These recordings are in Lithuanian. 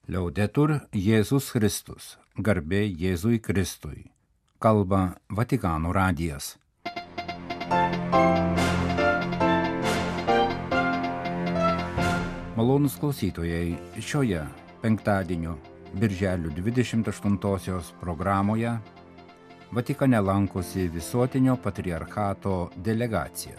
Liaudetur Jėzus Kristus, garbė Jėzui Kristui. Kalba Vatikano radijas. Malonūs klausytojai, šioje penktadienio birželio 28 programoje Vatikane lankosi Visuotinio patriarchato delegacija.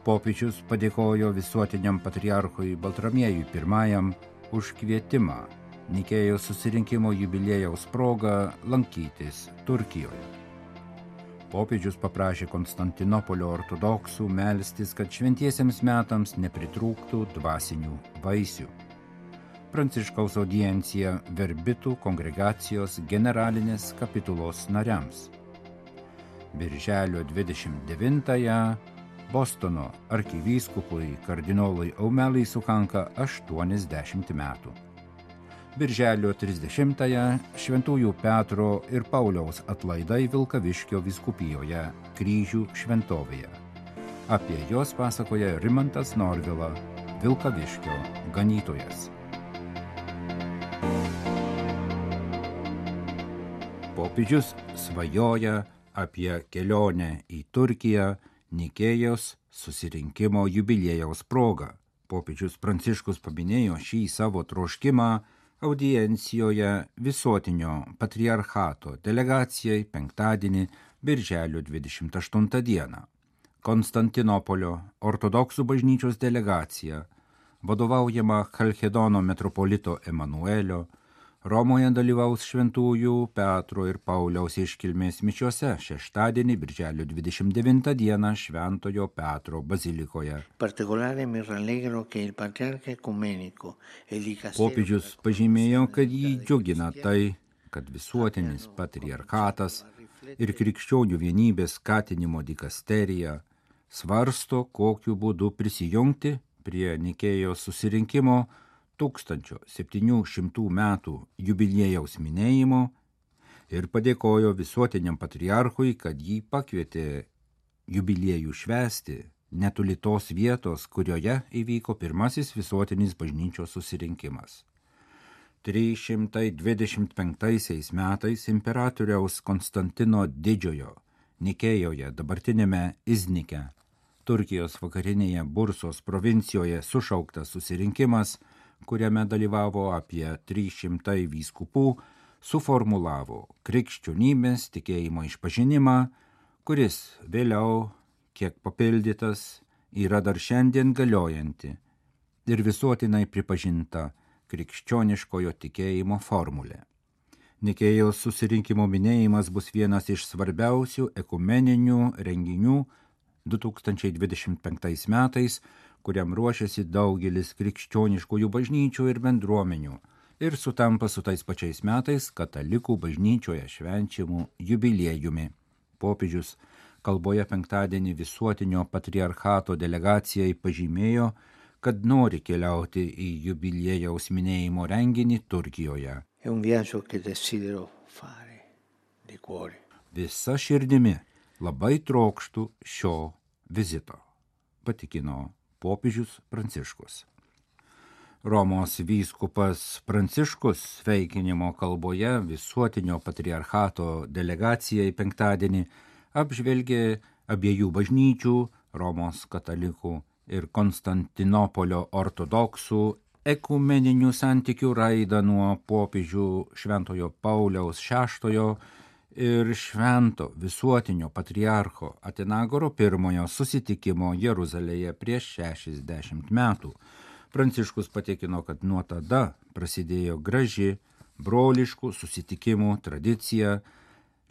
Popiežius padėkojo Visuotiniam patriarchui Baltramiejui I už kvietimą Nikėjos susirinkimo jubiliejaus proga lankytis Turkijoje. Popiežius paprašė Konstantinopolio ortodoksų melstis, kad šventiesiems metams nepritrūktų dvasinių vaisių. Pranciškaus audiencija Verbitų kongregacijos generalinės kapitulos nariams. Birželio 29-ąją Bostono arkivyskupui kardinolui Aumelui sukanka 80 metų. Birželio 30-ąją Šventųjų Petro ir Pauliaus atlaidai Vilkaviškio vyskupijoje Kryžių šventovėje. Apie juos pasakoja Rimantas Norvila, Vilkaviškio ganytojas. Popiežius svajoja apie kelionę į Turkiją Nikėjos susirinkimo jubiliejaus proga. Popiežius Pranciškus paminėjo šį savo troškimą audiencijoje Visuotinio patriarchato delegacijai penktadienį birželio 28 dieną. Konstantinopolio ortodoksų bažnyčios delegacija, vadovaujama Chalchedono metropolito Emanuelio, Romoje dalyvaus Šventųjų Petro ir Pauliaus iškilmės mišiose šeštadienį birželio 29 dieną Šventojo Petro bazilikoje. Popiežius pažymėjo, kad jį džiugina tai, kad Visuotinis patriarchatas ir krikščionių vienybės skatinimo dikasterija svarsto, kokiu būdu prisijungti prie Nikėjos susirinkimo 1700 metų jubiliejaus minėjimo ir padėkojo Visuotiniam patriarchui, kad jį pakvietė jubiliejų švęsti netoli tos vietos, kurioje įvyko pirmasis visuotinis bažnyčios susirinkimas. 325 metais imperatoriaus Konstantino Didžiojo Nikėjoje, dabartinėme Iznike, Turkijos vakarinėje Bursos provincijoje sušauktas susirinkimas, kuriame dalyvavo apie 300 vyskupų, suformulavo krikščionybės tikėjimo išpažinimą, kuris vėliau, kiek papildytas, yra dar šiandien galiojanti ir visuotinai pripažinta krikščioniškojo tikėjimo formulė. Nikėjos susirinkimo minėjimas bus vienas iš svarbiausių ekumeninių renginių 2025 metais, kuriam ruošiasi daugelis krikščioniškųjų bažnyčių ir bendruomenių ir sutampa su tais pačiais metais katalikų bažnyčioje švenčiamų jubiliejumi. Popiežius kalboje penktadienį Visuotinio patriarchato delegacijai pažymėjo, kad nori keliauti į jubiliejaus minėjimo renginį Turkijoje. Visa širdimi labai trokštų šio vizito, patikino popiežius Pranciškus. Romos vyskupas Pranciškus sveikinimo kalboje Visuotinio patriarchato delegacijai penktadienį apžvelgė abiejų bažnyčių, Romos katalikų ir Konstantinopolio ortodoksų ekumeninių santykių raidą nuo popiežių Šventojo Pauliaus VI ir Švento Visuotinio patriarcho Atenagoro I susitikimo Jeruzalėje prieš 60 metų. Pranciškus patikino, kad nuo tada prasidėjo graži broliškų susitikimų tradicija,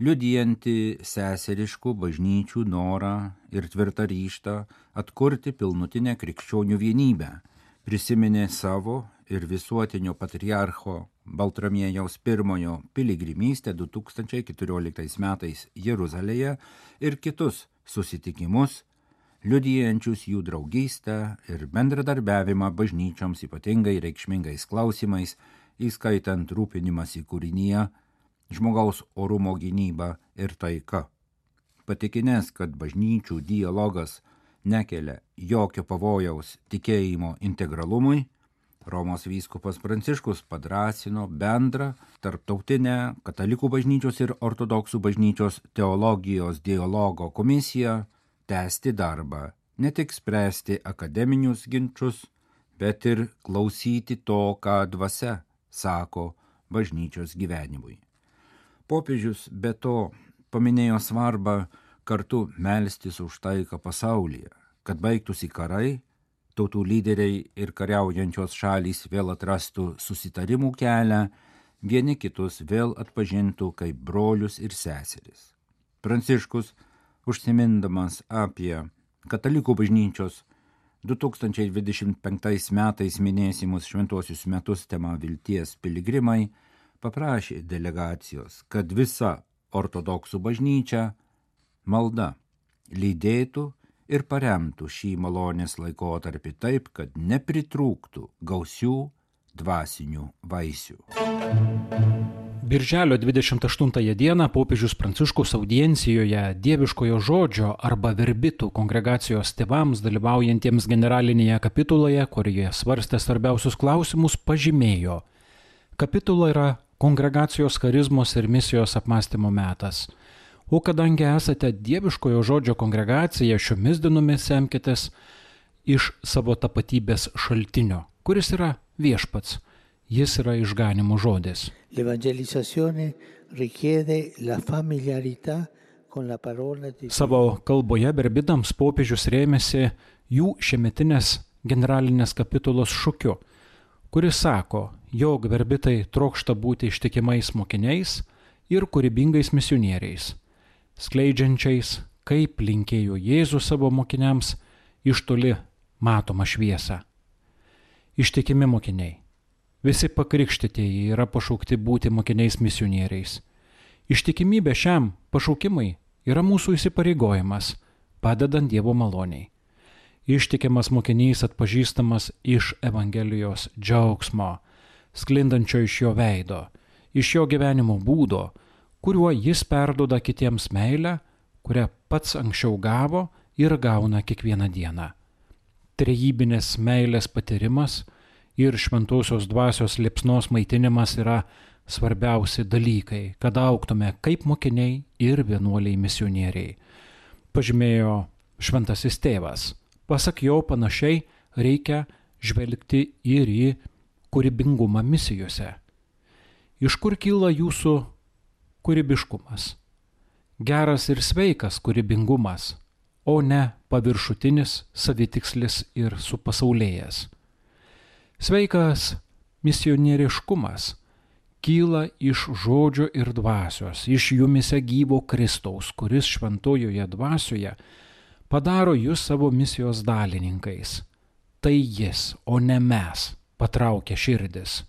liudijanti seseriškų bažnyčių norą ir tvirtą ryžtą atkurti pilnutinę krikščionių vienybę. Prisiminė savo ir Visuotinio patriarcho Baltramiejaus I piligrimystę 2014 metais Jeruzalėje ir kitus susitikimus, liudijančius jų draugystę ir bendradarbiavimą bažnyčioms ypatingai reikšmingais klausimais, įskaitant rūpinimąsi kūrinyje, žmogaus orumo gynyba ir taika. Patikinęs, kad bažnyčių dialogas nekelia jokio pavojaus tikėjimo integralumui, Romos vyskupas Pranciškus padrąsino bendrą tarptautinę katalikų bažnyčios ir ortodoksų bažnyčios teologijos dialogo komisiją tęsti darbą, ne tik spręsti akademinius ginčus, bet ir klausyti to, ką dvasia sako bažnyčios gyvenimui. Popiežius be to paminėjo svarbą kartu melstis už taiką pasaulyje, kad baigtųsi karai, tautų lyderiai ir kariaujančios šalys vėl atrastų susitarimų kelią, vieni kitus vėl atpažintų kaip brolius ir seseris. Pranciškus, užsimindamas apie katalikų bažnyčios 2025 metais minėsimus šventuosius metus tema Vilties piligrimai, paprašė delegacijos, kad visa ortodoksų bažnyčia malda lydėtų ir paremtų šį malonės laikotarpį taip, kad nepritrūktų gausių dvasinių vaisių. Birželio 28 dieną popiežius Pranciškus audiencijoje Dieviškojo žodžio arba verbitų kongregacijos tėvams dalyvaujantiems generalinėje kapituloje, kurioje svarstė svarbiausius klausimus, pažymėjo: kapitula yra kongregacijos charizmos ir misijos apmąstymo metas. O kadangi esate Dieviškojo žodžio kongregacija, šiomis dienomis semkitės iš savo tapatybės šaltinio, kuris yra viešpats. Jis yra išganimo žodis. Savo kalboje verbitams popiežius rėmėsi jų šiemetinės generalinės kapitulos šūkiu, kuris sako, jog verbitai trokšta būti ištikimais mokiniais ir kūrybingais misionieriais, skleidžiančiais, kaip linkėjo Jėzus savo mokiniams, iš toli matomą šviesą. Ištikimi mokiniai. Visi pakrikštytieji yra pašaukti būti mokiniais misionieriais. Ištikimybė šiam pašaukimui yra mūsų įsipareigojimas, padedant Dievo maloniai. Ištikimas mokinys atpažįstamas iš Evangelijos džiaugsmo, sklindančio iš jo veido, iš jo gyvenimo būdo, kuriuo jis perduoda kitiems meilę, kurią pats anksčiau gavo ir gauna kiekvieną dieną. Trejybinės meilės patyrimas ir šventosios dvasios liepsnos maitinimas yra svarbiausi dalykai, kad augtume kaip mokiniai ir vienuoliai misionieriai. Pažymėjo šventasis tėvas. Pasak jo panašiai reikia žvelgti ir į kūrybingumą misijose. Iš kur kyla jūsų kūrybiškumas? Geras ir sveikas kūrybingumas, o ne paviršutinis, savitikslis ir supasaulėjęs. Sveikas misionieriškumas kyla iš žodžio ir dvasios, iš jumise gyvo Kristaus, kuris šventojoje dvasioje padaro jūs savo misijos dalininkais. Tai jis, o ne mes, patraukia širdis.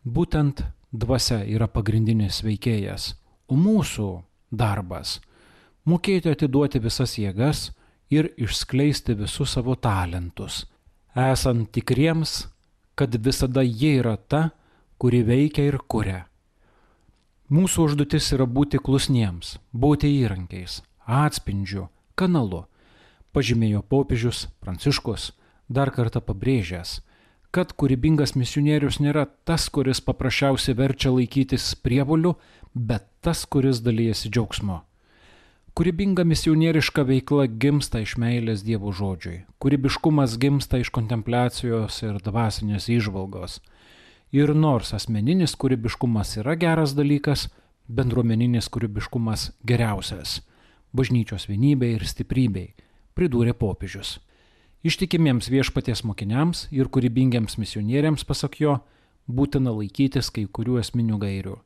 Būtent dvasia yra pagrindinis veikėjas, o mūsų darbas – mokėti atiduoti visas jėgas ir išskleisti visus savo talentus, esant tikriems, kad visada jie yra ta, kuri veikia ir kuria. Mūsų užduotis yra būti klusniems, būti įrankiais, atspindžiu, kanalu, pažymėjo popiežius Pranciškus, dar kartą pabrėžęs, kad kūrybingas misionierius nėra tas, kuris paprasčiausiai verčia laikytis prievolių, bet tas, kuris dalijasi džiaugsmo. Kūrybinga misionieriška veikla gimsta iš meilės Dievo žodžiui. Kūrybiškumas gimsta iš kontempliacijos ir dvasinės įžvalgos. Ir nors asmeninis kūrybiškumas yra geras dalykas, bendruomeninis kūrybiškumas geriausias. Bažnyčios vienybei ir stiprybei, pridūrė popiežius. Ištikimiems viešpaties mokiniams ir kūrybingiams misionieriams, pasak jo, būtina laikytis kai kurių esminių gairių.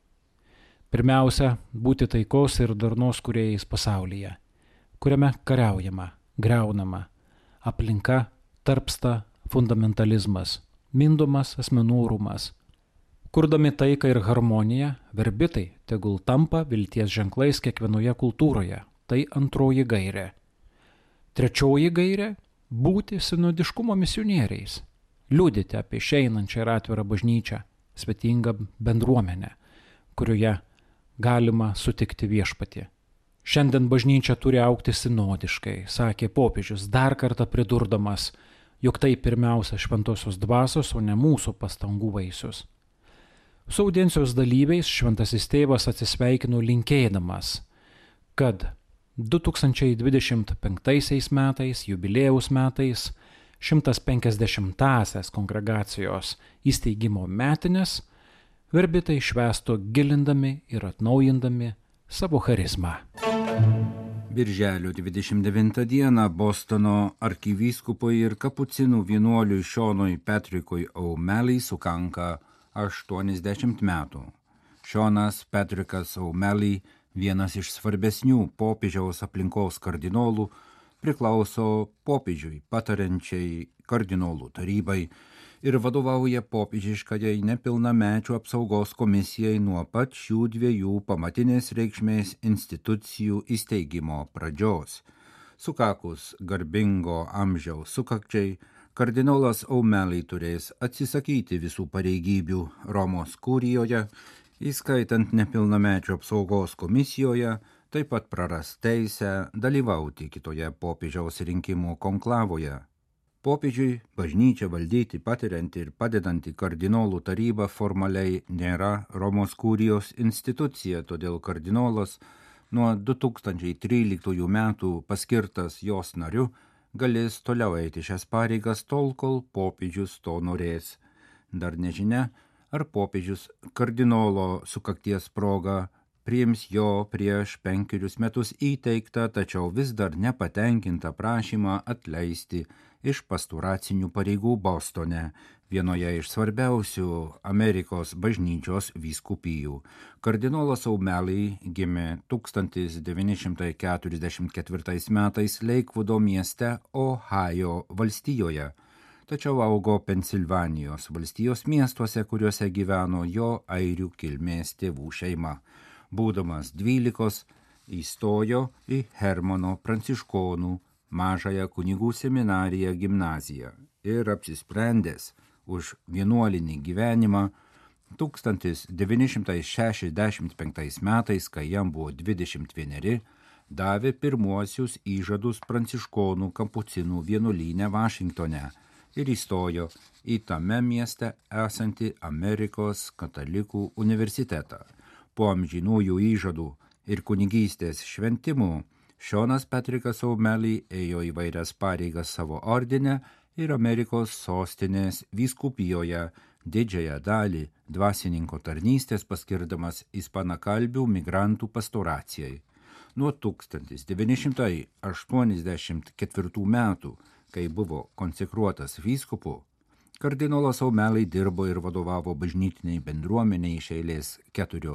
Pirmiausia, būti taikos ir darnos kūrėjais pasaulyje, kuriame kariaujama, griaunama, aplinka tarpsta fundamentalizmas, mindomas asmenų orumas. Kurdami taiką ir harmoniją, verbitai tegul tampa vilties ženklais kiekvienoje kultūroje. Tai antroji gairė. Trečioji gairė – būti sinodiškumo misionieriais, liudyti apie išeinančią ir atvirą bažnyčią, svetingą bendruomenę, kurioje galima sutikti viešpatį. Šiandien bažnyčia turi augti sinodiškai, sakė popiežius, dar kartą pridurdamas, jog tai pirmiausia šventosios dvasios, o ne mūsų pastangų vaisius. Su audiencijos dalyviais šventasis tėvas atsisveikino linkėdamas, kad 2025 metais, jubiliejaus metais, 150-asias kongregacijos įsteigimo metinės verbitai švęstų gilindami ir atnaujindami savo charizmą. Birželio 29 dieną Bostono arkivyskupui ir kapucinų vienuoliui Šonui Patrickui O'Malley sukanka 80 metų. Šonas Patrickas O'Malley, vienas iš svarbesnių popiežiaus aplinkos kardinolų, priklauso popiežiui patariančiai kardinolų tarybai ir vadovauja popiežiškajai nepilnamečių apsaugos komisijai nuo pat šių dviejų pamatinės reikšmės institucijų įsteigimo pradžios. Sukakus garbingo amžiaus sukakčiai, kardinolas O'Malley turės atsisakyti visų pareigybių Romos kurijoje, įskaitant nepilnamečių apsaugos komisijoje, taip pat praras teisę dalyvauti kitoje popiežiaus rinkimų konklavoje. Popiežiui bažnyčią valdyti patirianti ir padedanti kardinolų taryba formaliai nėra Romos kurijos institucija, todėl kardinolas nuo 2013 metų paskirtas jos nariu galės toliau eiti šias pareigas tol, kol popiežius to norės. Dar nežinia, ar popiežius kardinolo sukakties proga priims jo prieš 5 metus įteiktą, tačiau vis dar nepatenkintą prašymą atleisti iš pastoracinių pareigų Bostone, vienoje iš svarbiausių Amerikos bažnyčios vyskupijų. Kardinolas O'Malley gimė 1944 metais Lakevudo mieste Ohajo valstijoje, tačiau augo Pensilvanijos valstijos miestuose, kuriuose gyveno jo airių kilmės tėvų šeima. Būdamas 12, įstojo į Hermano pranciškonų mažąją kunigų seminariją gimnaziją ir apsisprendęs už vienuolinį gyvenimą 1965 metais, kai jam buvo 21, davė pirmuosius įžadus pranciškonų kapucinų vienuolyne Vašingtone ir įstojo į tame mieste esantį Amerikos katalikų universitetą. Po amžinųjų įžadų ir kunigystės šventimų Šonas Patrickas O'Malley ėjo įvairias pareigas savo ordine ir Amerikos sostinės vyskupijoje, didžiąją dalį dvasininko tarnystės paskirdamas ispanakalbių migrantų pastoracijai. Nuo 1984 metų, kai buvo konsekruotas vyskupu, kardinolas O'Malley dirbo ir vadovavo bažnytiniai bendruomeniai iš eilės 4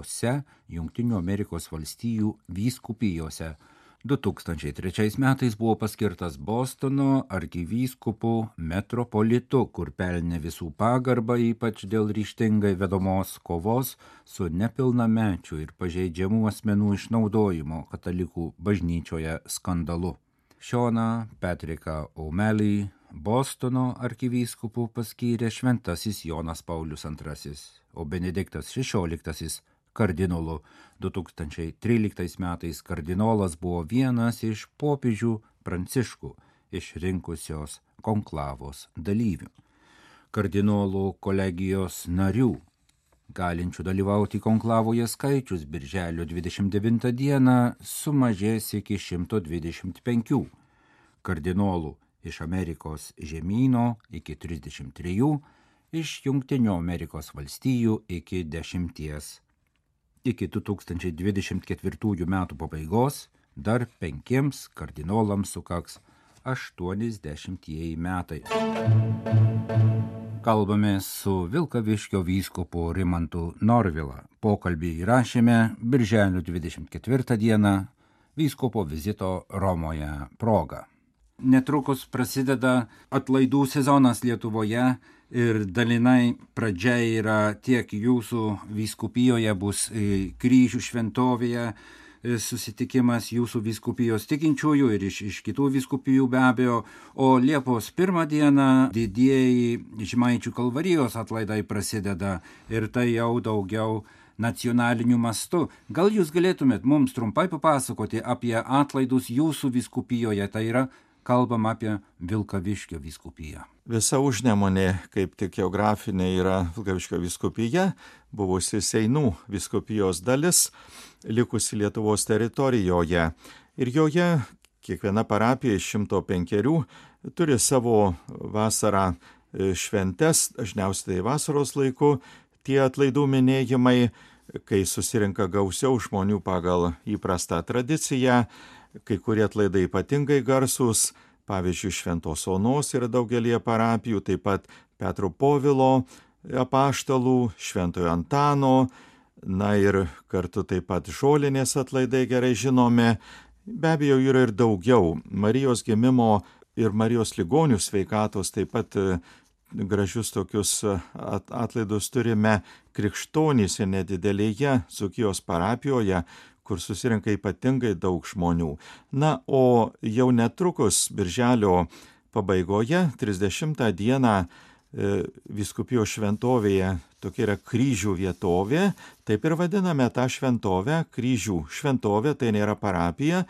Jungtinių Amerikos valstijų vyskupijose. 2003 metais buvo paskirtas Bostono arkivyskupu metropolitu, kur pelnė visų pagarbą, ypač dėl ryžtingai vedamos kovos su nepilnamečių ir pažeidžiamų asmenų išnaudojimo katalikų bažnyčioje skandalu. Šoną Patricką O'Malley Bostono arkivyskupu paskyrė šventasis Jonas Paulius II, o Benediktas XVI kardinolu. 2013 metais kardinolas buvo vienas iš popiežių Pranciškų išrinkusios konklavos dalyvių. Kardinolų kolegijos narių, galinčių dalyvauti konklavoje skaičius birželio 29 dieną sumažės iki 125. Kardinolų iš Amerikos žemyno iki 33, iš Jungtinių Amerikos valstijų iki 10. Iki 2024 metų pabaigos dar 5 kardinolams sukaks 80 metai. Kalbame su Vilkaviškio vyskupu Rimantu Norvila. Pokalbį įrašėme birželio 24 dieną vyskupo vizito Romoje proga. Netrukus prasideda atlaidų sezonas Lietuvoje ir dalinai pradžia yra tiek jūsų vyskupijoje bus kryžių šventovėje susitikimas jūsų vyskupijos tikinčiųjų ir iš kitų vyskupijų be abejo, o Liepos 1 dieną didieji Žemaičių kalvarijos atlaidai prasideda ir tai jau daugiau nacionaliniu mastu. Gal jūs galėtumėt mums trumpai papasakoti apie atlaidus jūsų vyskupijoje, tai yra kalbam apie Vilkaviškio vyskupiją. Visa Užnemunė, kaip tik geografinė, yra Vilkaviškio vyskupija, buvusi Seinų vyskupijos dalis, likusi Lietuvos teritorijoje. Ir joje kiekviena parapija iš 105 turi savo vasarą šventes, dažniausiai tai vasaros laiku, tie atlaidų minėjimai, kai susirinka gausiau žmonių pagal įprastą tradiciją, kai kurie atlaidai ypatingai garsūs, pavyzdžiui, Šventos Onos yra daugelie parapijų, taip pat Petro Povilo apaštalų, Šventojo Antano, na ir kartu taip pat Žolinės atlaidai gerai žinomi. Be abejo, yra ir daugiau. Marijos gimimo ir Marijos ligonių sveikatos taip pat gražius tokius atlaidus turime Krikštonyse nedidelėje Dzūkijos parapijoje, kur susirinka ypatingai daug žmonių. Na, o jau netrukus birželio pabaigoje, 30 dieną, vyskupijos šventovėje, tokia yra Kryžių vietovė, taip ir vadiname tą šventovę, Kryžių šventovė, tai nėra parapija,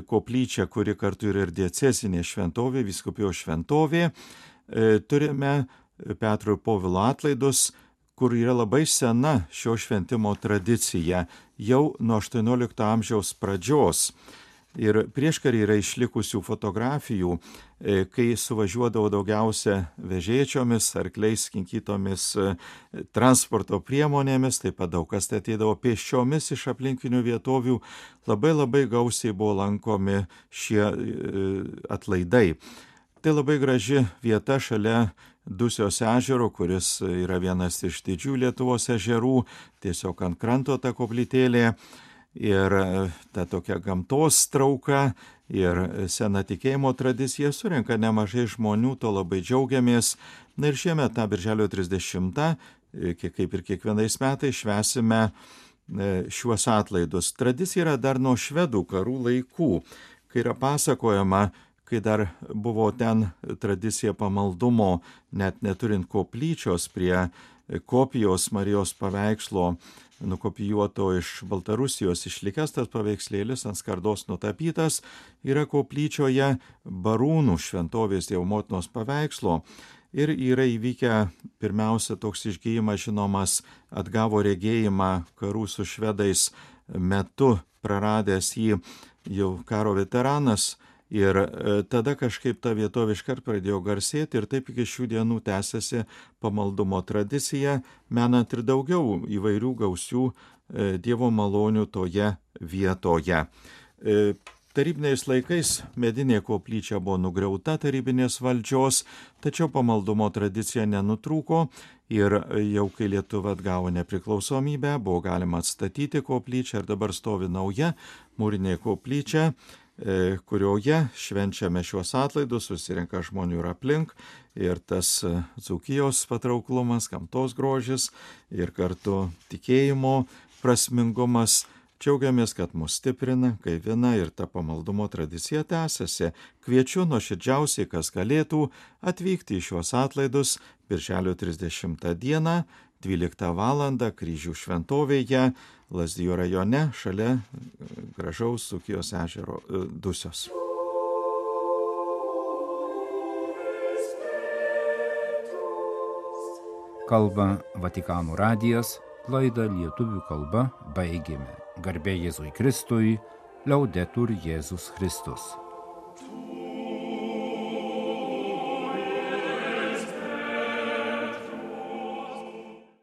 koplyčia, kuri kartu yra ir diecezinė šventovė, vyskupijos šventovė. Turime Petro ir Povilo atlaidus, kur yra labai sena šio šventimo tradicija, jau nuo 18 amžiaus pradžios. Ir prieškarį yra išlikusių fotografijų, kai suvažiuodavo daugiausia vežėčiomis, arkliais, kinkytomis transporto priemonėmis, taip pat daug kas ateidavo pėsčiomis iš aplinkinių vietovių, labai gausiai buvo lankomi šie atlaidai. Tai labai graži vieta šalia Dusios ežero, kuris yra vienas iš didžių Lietuvos ežerų, tiesiog ant kranto ta koplytėlė. Ir ta tokia gamtos trauka ir sena tikėjimo tradicija surenka nemažai žmonių, to labai džiaugiamės. Na ir šiemet tą birželio 30, kaip ir kiekvienais metais, švęsime šiuos atlaidus. Tradicija yra dar nuo švedų karų laikų, kai yra pasakojama, kai dar buvo ten tradicija pamaldumo, net neturint koplyčios prie kopijos Marijos paveikslo, nukopijuoto iš Baltarusijos išlikęs tas paveikslėlis ant skardos nutapytas, yra koplyčioje Barūnų šventovės Dievo motinos paveikslo. Ir yra įvykę pirmiausia toks išgijimas žinomas, atgavo regėjimą karų su švedais metu, praradęs jį jau karo veteranas. Ir tada kažkaip ta vietovė iškart pradėjo garsėti ir taip iki šių dienų tęsiasi pamaldumo tradicija, menant ir daugiau įvairių gausių Dievo malonių toje vietoje. Tarybiniais laikais medinė koplyčia buvo nugriauta tarybinės valdžios, tačiau pamaldumo tradicija nenutrūko ir jau kai Lietuva atgavo nepriklausomybę, buvo galima atstatyti koplyčią ir dabar stovi nauja mūrinė koplyčia, kurioje švenčiame šiuos atlaidus, susirenka žmonių ir aplink, ir tas Dzūkijos patrauklumas, gamtos grožis ir kartu tikėjimo prasmingumas. Džiaugiamės, kad mus stiprina, gaivina ir ta pamaldumo tradicija tęsiasi. Kviečiu nuoširdžiausiai, kas galėtų, atvykti į šiuos atlaidus birželio 30 dieną, 12 val. Kryžių šventovėje, Lazdijų rajone, šalia gražaus Dzūkijos ežero Dusios. Kalba Vatikano radijas, laidą lietuvių kalba baigėme. Garbė Jėzui Kristui, Laudetur Jėzus Kristus.